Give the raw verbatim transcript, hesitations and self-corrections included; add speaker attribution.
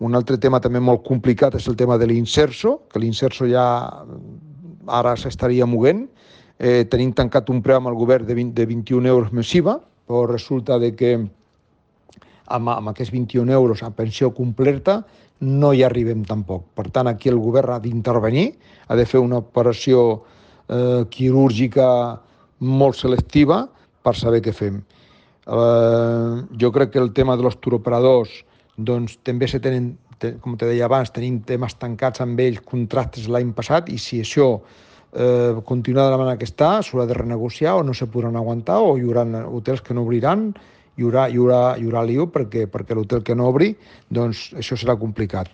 Speaker 1: Un altre tema també molt complicat és el tema de l'Inserso, que l'Inserso ja ara s'estaria movent. Eh, tenim tancat un preu amb el govern de, vint, de vint-i-un euros més I V A, però resulta de que amb, amb aquests vint-i-un euros a pensió completa no hi arribem tampoc. Per tant, aquí el govern ha d'intervenir, ha de fer una operació eh, quirúrgica molt selectiva per saber què fem. Eh, jo crec que el tema dels turoperadors doncs, també se tenen, com te deia abans, tenim temes tancats amb ells, contractes l'any passat, i si això eh, continua de la manera que està, s'haurà de renegociar o no se podran aguantar, o hi haurà hotels que no obriran, hi haurà, hi haurà, hi haurà lío perquè, perquè l'hotel que no obri, doncs això serà complicat.